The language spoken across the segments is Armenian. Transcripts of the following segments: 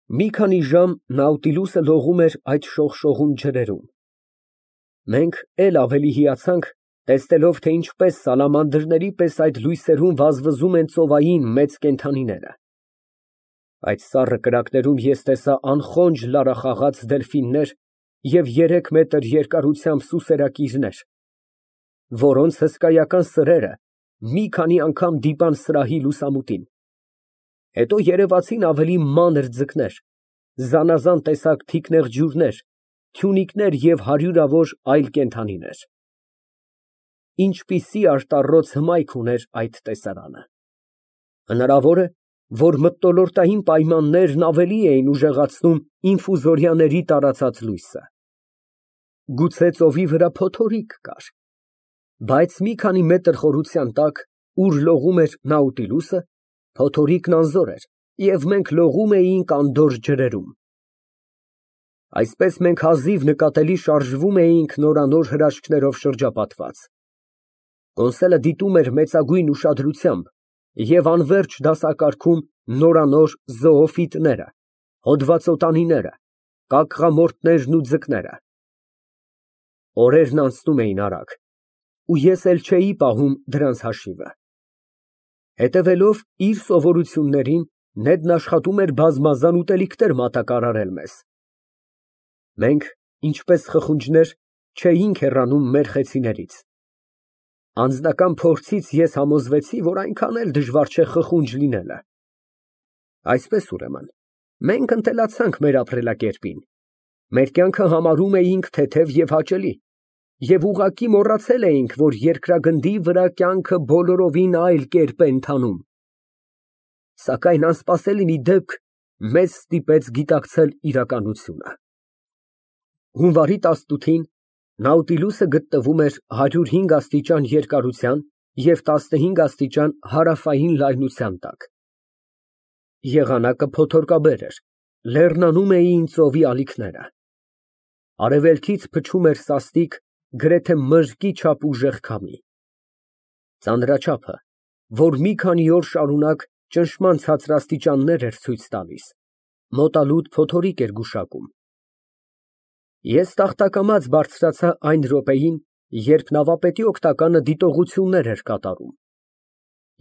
Մի քանի ժամ Նաուտիլուսը լողում էր այդ շողշողուն ջրերում։ Մենք էլ ավելի հիացանք, տեսնելով, թե ինչպես սալամանդրների պես այդ լույսերում վազվզում են ծովային մեծ կենդանիները։ Այդ սառը կրակներում ես տեսա անխոնջ լարախաղաց դելֆիններ և 3 մետր երկարությամբ սուսերակիրներ, որոնց հսկայական սրերը մի քանի անգամ դիպան սրահի լուսամուտին։ Հետո երևացին ավելի մանր ձկներ, զանազան տեսակ թիկնեղջյուրներ, թյունիկներ և հարյուրավոր այլ կենդանիներ։ Ինչպիսի արտառոց հմայք ուներ այդ տեսարանը։ Հնարավոր է, որ մթնոլորտային պայմաններն ավելի էին ուժեղացնում ինֆուզորիաների տարածած լույսը։ Գուցե ծովի վրա փոթորիկ կար։ Բայց մի քանի մետր խորության տակ, ուր լողում էր Նաուտիլուսը, փոթորիկն անզոր էր, և մենք լողում էինք անդորր ջրերում։ Այսպես մենք հազիվ նկատելի շարժվում էինք նորանոր հրաշքներով շրջապատված։ Կոնսելը դիտում էր մեծագույն ուշադրությամբ և անվերջ դասակարգում նորանոր զոոֆիտները, հոդվածոտանիները, կակղամորթներն ու ձկները։ Օրերն անցնում էին արագ, ու ես էլ չէի պահում դրանց հաշիվը։ Հետևելով իր սովորություններին, Նեդն աշխատում էր բազմազան ուտելիքներ մատակարարել մեզ։ Մենք, ինչպես խխունջներ, չէինք հեռանում մեր խեցիներից։ Անձնական փորձից ես համոզվեցի, որ այնքան էլ դժվար չէ խխունջ լինելը։ Այսպես, ուրեմն, մենք ընտելացանք մեր ապրելակերպին, մեր կյանքը համարում էինք թեթև և հաճելի, և ուղղակի մոռացել էինք, որ երկրագնդի վրա կյանքը բոլորովին այլ կերպ է ընթանում։ Սակայն անսպասելի մի դեպք մեզ ստիպեց գիտակցել իրականությունը։ Հունվարի 18-ին Նաուտիլուսը գտնվում էր 105 աստիճան երկարության և 15 աստիճան հարավային լայնության տակ։ Եղանակը փոթորկաբեր էր, լեռնանում էին ծովի ալիքները։ Արևելքից փչում էր սաստիկ, գրեթե մրրկի չափ ուժեղ քամի։ Ծանրաչափը, որ մի քանի օր շարունակ ճնշման ցածրաստիճաններ էր ցույց տալիս, մոտալուտ փոթորիկ էր գուշակում։ Ես տախտակամած բարձրացա այն րոպեին, երբ նավապետի օգնականը դիտողություններ էր կատարում։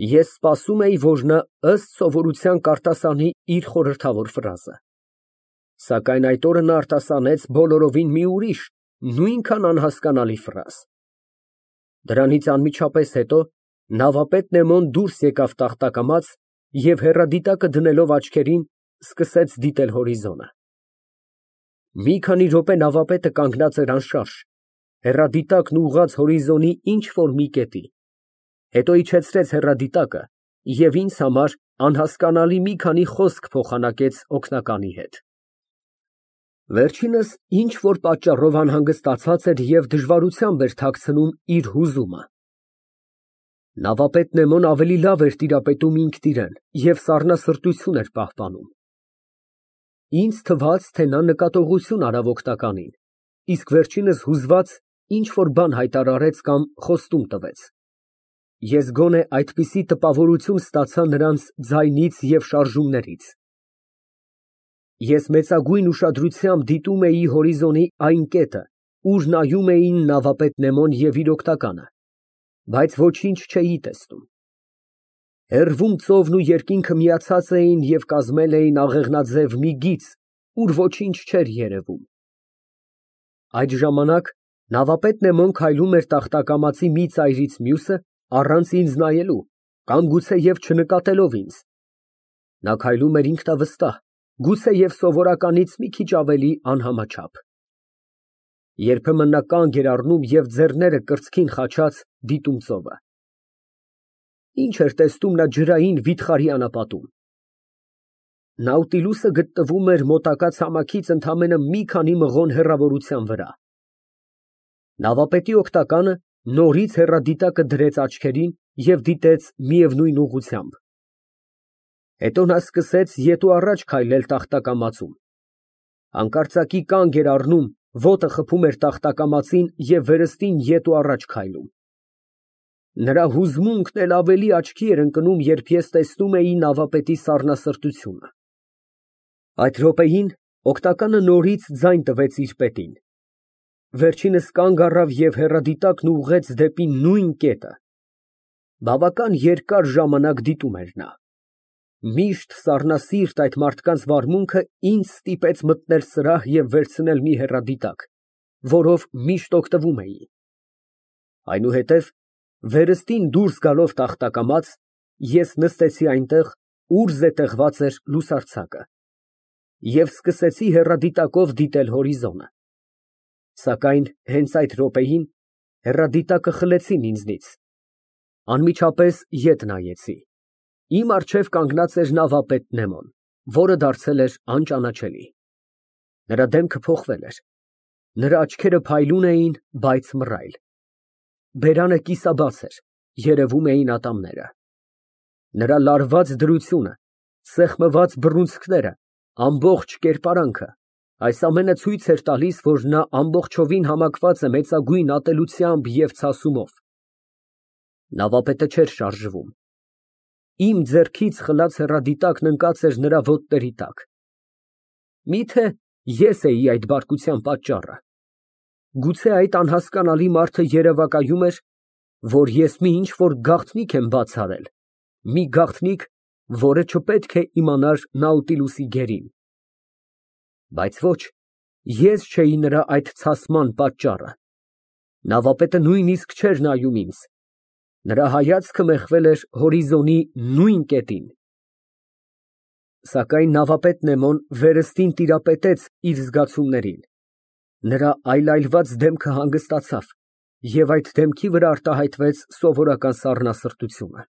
Ես սպասում էի, որ նա ըստ սովորության կարտասանի իր խորհրդավոր ֆրազը։ Սակայն այդ օրը նա արտասանեց բոլորովին մի ուրիշ, նույնքան անհասկանալի ֆրազ։ Դրանից անմիջապես հետո նավապետ Նեմոն դուրս եկավ տախտակամած և հեռադիտակը դնելով աչքերին, սկսեց դիտել հորիզոնը։ Մի քանի րոպե նավապետը կանգնած էր անշարժ, հեռադիտակն ուղղած հորիզոնի ինչ֊որ մի կետի, հետո իջեցրեց հեռադիտակը և ինձ համար անհասկանալի մի քանի խոսք փոխանակեց օգնականի հետ։ Վերջինս ինչ֊որ պատճառով անհանգստացած էր և դժվարությամբ էր թաքցնում իր հուզումը։ Նավապետ Նեմոն ավելի լավ էր տիրապետում ինքն իրան և սառնասրտություն էր պահպանում։ Ինձ թվաց, թե նա նկատողություն արավ օգնականին, իսկ վերջինս հուզված ինչ֊որ բան հայտարարեց կամ խոստում տվեց։ Ես գոնե այդպիսի տպավորություն ստացա նրանց ձայնից և շարժումներից։ Ես մեծագույն ուշադրությամբ դիտում էի հորիզոնի այն կետը, ուր նայում էին նավապետ Նեմոն և իր օգնականը, բայց ոչինչ չէի տեսնում։ Հեռվում ծովն ու երկինքը միացած էին և կազմել էին աղեղնաձև մի գիծ, ուր ոչինչ չէր երևում։ Այդ ժամանակ նավապետ Նեմոն քայլում էր տախտակամածի մի ծայրից մյուսը, առանց ինձ նայելու կամ գուցեև չնկատելով ինձ։ Նա քայլում էր ինքնավստահ, գուցեև սովորականից մի քիչ ավելի անհամաչափ։ Երբեմն նա կանգ էր առնում և ձեռները կրծքին խաչած դիտում ծովը։ Ինչ էր տեսնում նա ջրային վիթխարի անապատում։ Նաուտիլուսը գտնվում էր մոտակա ցամաքից ընդամենը մի քանի մղոն հեռավորության վրա։ Նավապետի օգնականը նորից հեռադիտակը դրեց աչքերին և դիտեց միևնույն ուղղությամբ։ Հետո նա սկսեց ետ ու առաջ քայլել տախտակամածում։ Հանկարծակի կանգ էր առնում, ոտը խփում էր տախտակամածին և վերստին ետ ու առաջ քայլում։ Նրա հուզմունքն էլ ավելի աչքի էր ընկնում, երբ ես տեսնում էի նավապետի սառնասրտությունը։ Այդ րոպեին օգնականը նորից ձայն տվեց իր պետին։ Վերջինս կանգ առավ և հեռադիտակն ուղղեց դեպի նույն կետը։ Բավական երկար ժամանակ դիտում էր նա։ Միշտ սառնասիրտ այդ մարդկանց վարմունքը ինձ ստիպեց մտնել սրահ և վերցնել մի հեռադիտակ, որով միշտ օգտվում էի։ Այնուհետև, վերստին դուրս գալով տախտակամաց, ես նստեցի այնտեղ, ուր զետեղված էր լուսարձակը, և սկսեցի հեռադիտակով դիտել հորիզոնը։ Սակայն հենց այդ րոպեին հեռադիտակը խլեցին ինձնից։ Անմիջապես ետ նայեցի։ Իմ առջև կանգնած էր նավապետ Նեմոն, որը դարձել էր անճանաչելի։ Նրա դեմքը փոխվել էր, նրա աչքերը փայլուն էին, բայց մռայլ։ Բերանը կիսաբաց էր, երևում էին ատամները։ Նրա լարված դրությունը, սեղմված բռունցքները, ամբողջ կերպարանքը, այս ամենը ցույց էր տալիս, որ նա ամբողջովին համակված է մեծագույն ատելությամբ և ցասումով։ Նավապետը չէր շարժվում։ Իմ ձեռքից խլած հեռադիտակն ընկած էր նրա ոտների տակ։ Միթե ես էի այդ բարկության պատճառը։ Գուցե այդ անհասկանալի մարդը երևակայում էր, որ ես մի ինչ֊որ գաղտնիք եմ բաց արել, մի գաղտնիք, որը չպետք է իմանար Նաուտիլուսի գերին։ Բայց ոչ, ես չէի նրա այդ ցասման պատճառը։ Նավապետը նույնիսկ չէր նայում ինձ։ Նրա հայացքը մեղվել էր հորիզոնի նույն կետին։ Սակայն նավապետ Նեմոն վերստին տիրապետեց իր զգացումներին։ Նրա այլայլված դեմքը հանգստացավ, և այդ դեմքի վրա արտահայտվեց սովորական սառնասրտությունը։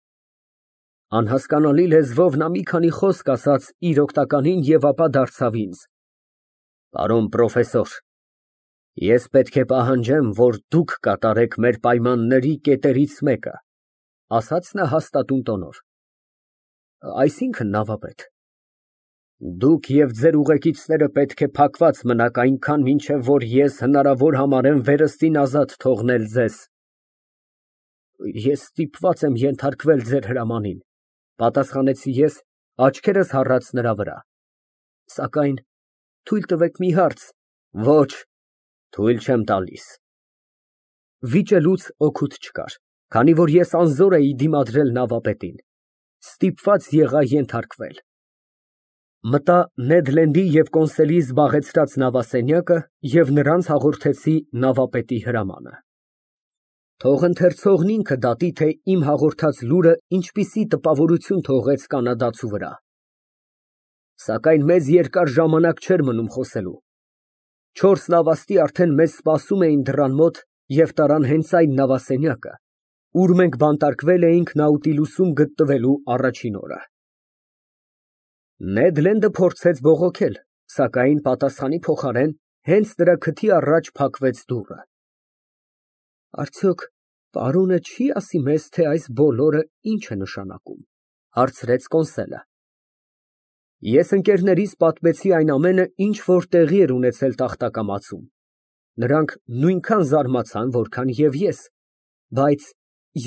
Անհասկանալի լեզվով նա մի քանի խոսք ասաց իր օգնականին և ապա դարձավ ինձ. Պարոն պրոֆեսոր, ես պետք է պահանջեմ, որ դուք կատարեք մեր պայմանների կետերից մեկը, ասաց նա հաստատուն տոնով։ Այսինքն, նավապետ, դուք և ձեր ուղեկիցները պետք է փակված մնաք այնքան, մինչև որ ես հնարավոր համարեմ վերստին ազատ թողնել ձեզ։ Ես ստիպված եմ ենթարկվել ձեր հրամանին, պատասխանեցի ես, աչքերս հառած նրա վրա։ Սակայն թույլ տվեք մի հարց։ Ոչ, թույլ չեմ տալիս։ Վիճելուց օգուտ չկար, քանի որ ես անզոր էի դիմադրել նավապետին, ստիպված եղա ենթարկվել։ Մտա Նեդ Լենդի և Կոնսելի զբաղեցրած նավասենյակը և նրանց հաղորդեցի նավապետի հրամանը։ Թող ընթերցողն ինքը դատի, թե իմ հաղորդած լուրը ինչպիսի տպավորություն թողեց կանադացու վրա։ Սակայն մեզ երկար ժամանակ չէր մնում խոսելու։ 4 նավաստի արդեն մեզ սպասում էին դռան մոտ և տարան հենց այն նավասենյակը, ուր մենք բանտարկվել էինք Նաուտիլուսում գտնվելու առաջին օրը։ Նեդ Լենդը փորձեց բողոքել, սակայն պատասխանի փոխարեն հենց նրա քթի առաջ փակվեց դուռը։ Արդյոք պարոնը չի ասի մեզ, թե այս բոլորը ինչ է նշանակում, հարցրեց Կոնսելը։ Ես ընկերներիս պատմեցի այն ամենը, ինչ որ տեղի էր ունեցել տախտակամածում։ Նրանք նույնքան զարմացան, որքան և ես, բայց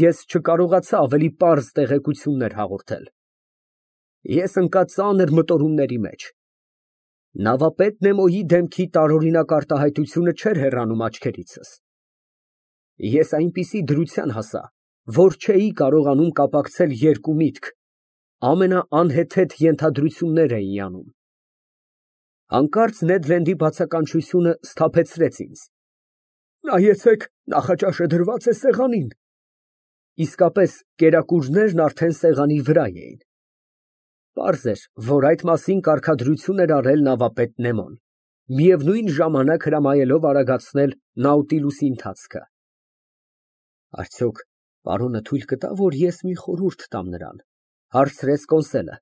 ես չկարողացա ավելի պարզ տեղեկություններ հաղորդել։ Ես ընկա ծանր մտորումների մեջ։ Նավապետ Նեմոյի դեմքի տարօրինակ արտահայտությունը չէր հեռանում աչքերիցս։ Ես այնպիսի դրության հասա, որ չէի կարողանում կապակցել երկու միտք, ամենաանհեթեթ ենթադրություններ էի անում։ Հանկարծ Նեդ Լենդի բացականչությունը սթափեցրեց ինձ։ Նայեցեք, նախաճաշը դրված է սեղանին։ Իսկապես, կերակուրներն արդեն սեղանի վրա էին։ Պարզ էր, որ այդ մասին կարգադրություն էր արել նավապետ Նեմոն, միևնույն ժամանակ հրամայելով արագացնել Նաուտիլուսի ընթացքը։ Արդյոք պարոնը թույլ կտա, որ ես մի խորհուրդ տամ նրան, հարցրեց Կոնսելը։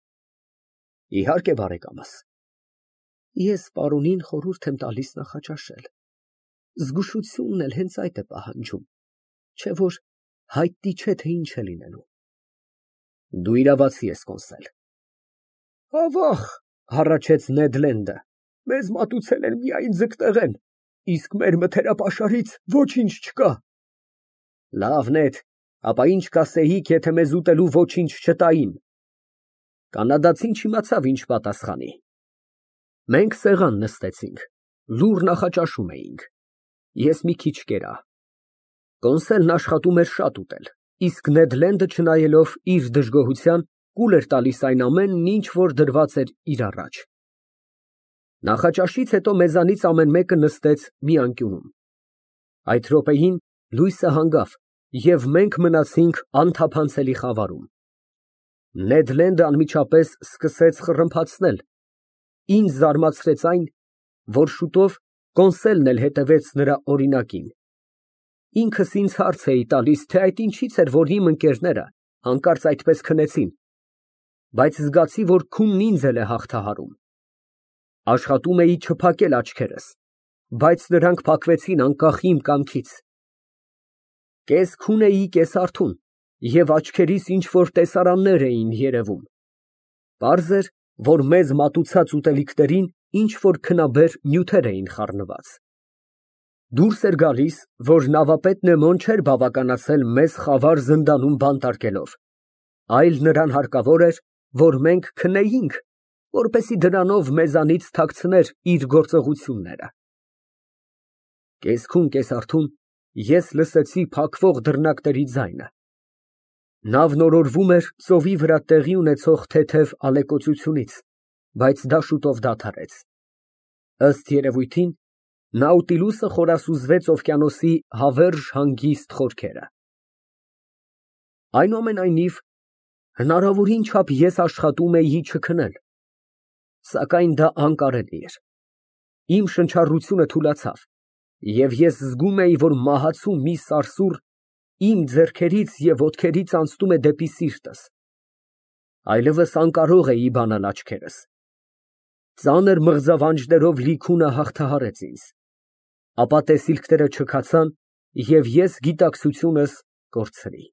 Իհարկե, բարեկամս։ Ես պարոնին խորհուրդ եմ տալիս նախաճաշել։ Զգուշությունն էլ հենց այդ է պահանջում, չէ որ հայտնի չէ, թե ինչ է լինելու։ Դու իրավացի ես, Կոնսել։ Ավաղ, հառաչեց Նեդ Լենդը, մեզ մատուցել են միայն ձկտեղեն, իսկ մեր մթերապաշարից ոչինչ չկա։ Լավ, Նեդ, ապա ինչ կասեիք, եթե մեզ ուտելու ոչինչ չտային։ Կանադացին չիմացավ ինչ պատասխանի։ Մենք սեղան նստեցինք, լուռ նախաճաշում էինք։ Ես մի քիչ կերա։ Կոնսելն աշխատում էր շատ ուտել, իսկ Նեդ Լենդը, չնայելով իր դժգոհության, կուլ էր տալիս այն ամենն, ինչ որ դրված էր իր առաջ։ Նախաճաշից հետո մեզանից ամեն մեկը նստեց մի անկյունում։ Այդ րոպեին լույսը հանգավ, և մենք մնացինք անթափանցելի խավարում։ Նեդ Լենդը անմիջապես սկսեց խռմփացնել։ Ինձ զարմացրեց այն, որ շուտով Կոնսելն էլ հետևեց նրա օրինակին։ Ինքս ինձ հարց էի տալիս, թե այդ ինչից էր, որ իմ ընկերները հանկարծ այդպես քնեցին, բայց զգացի, որ քունն ինձ էլ է հաղթահարում։ Աշխատում էի չփակել աչքերս, բայց նրանք փակվեցին անկախ իմ կամքից։ Կես քուն էի, կես արթուն, և աչքերիս ինչ֊որ տեսարաններ էին երևում։ Պարզ էր, որ մեզ մատուցած ուտելիքներին ինչ֊որ քնաբեր նյութեր էին խառնված։ Դուրս էր գալիս, որ նավապետ Նեմոն չէր բավականացել մեզ խավար զնդանում բանտարկելով, այլ նրան հարկավոր էր, որ մենք քնեինք, որպեսզի դրանով մեզանից թաքցներ իր գործողությունները։ Կես քուն, կես արթուն ես լսեցի փակվող դռնակների ձայնը։ Նավն օրորվում էր ծովի վրա տեղի ունեցող թեթև ալեկոծությունից, բայց դա շուտով դադարեց։ Ըստ երևույթին, Նաուտիլուսը խորասուզվեց օվկիանոսի հավերժ հանգիստ խորքերը։ Այնուամենայնիվ, հնարավորին չափ ես աշխատում էի չքնել, սակայն դա անկարելի էր։ Իմ շնչառությունը թուլացավ, և ես զգում էի, որ մահացու մի սարսուռ իմ ձեռքերից և ոտքերից անցնում է դեպի սիրտս։ Այլևս անկարող էի բանալ աչքերս։ Ծանր մղձավանջներով լի քունը հաղթահարեց ինձ։ Ապա տեսիլքները չքացան, և ես գիտակցությունս կորցրի։